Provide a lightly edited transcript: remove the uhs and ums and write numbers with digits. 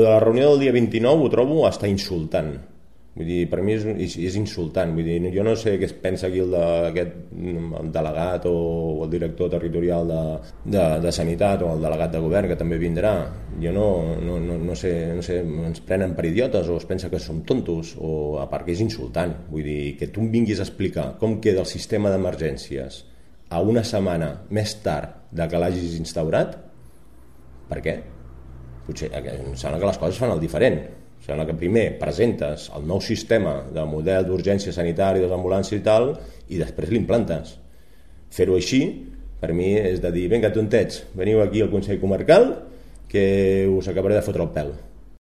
de la reunió del dia 29 ho trobo hasta insultant. Vull dir, per mi és insultant. Vull dir, jo no sé què es pensa aquí aquest delegat o el director territorial de Sanitat o el delegat de govern, que també vindrà. Jo no sé, ens prenen per idiotes o es pensa que som tontos, o a part que és insultant. Vull dir, que tu em vinguis a explicar com queda el sistema d'emergències a una setmana més tard de que l'hagis instaurat, per què? Potser em sembla que les coses fan el diferent. Em sembla que primer presentes el nou sistema de model d'urgència sanitària, de les ambulàncies i tal, i després l'implantes. Fer-ho així, per mi, és de dir, vinga, tontets, veniu aquí al Consell Comarcal que us acabaré de fotre el pèl.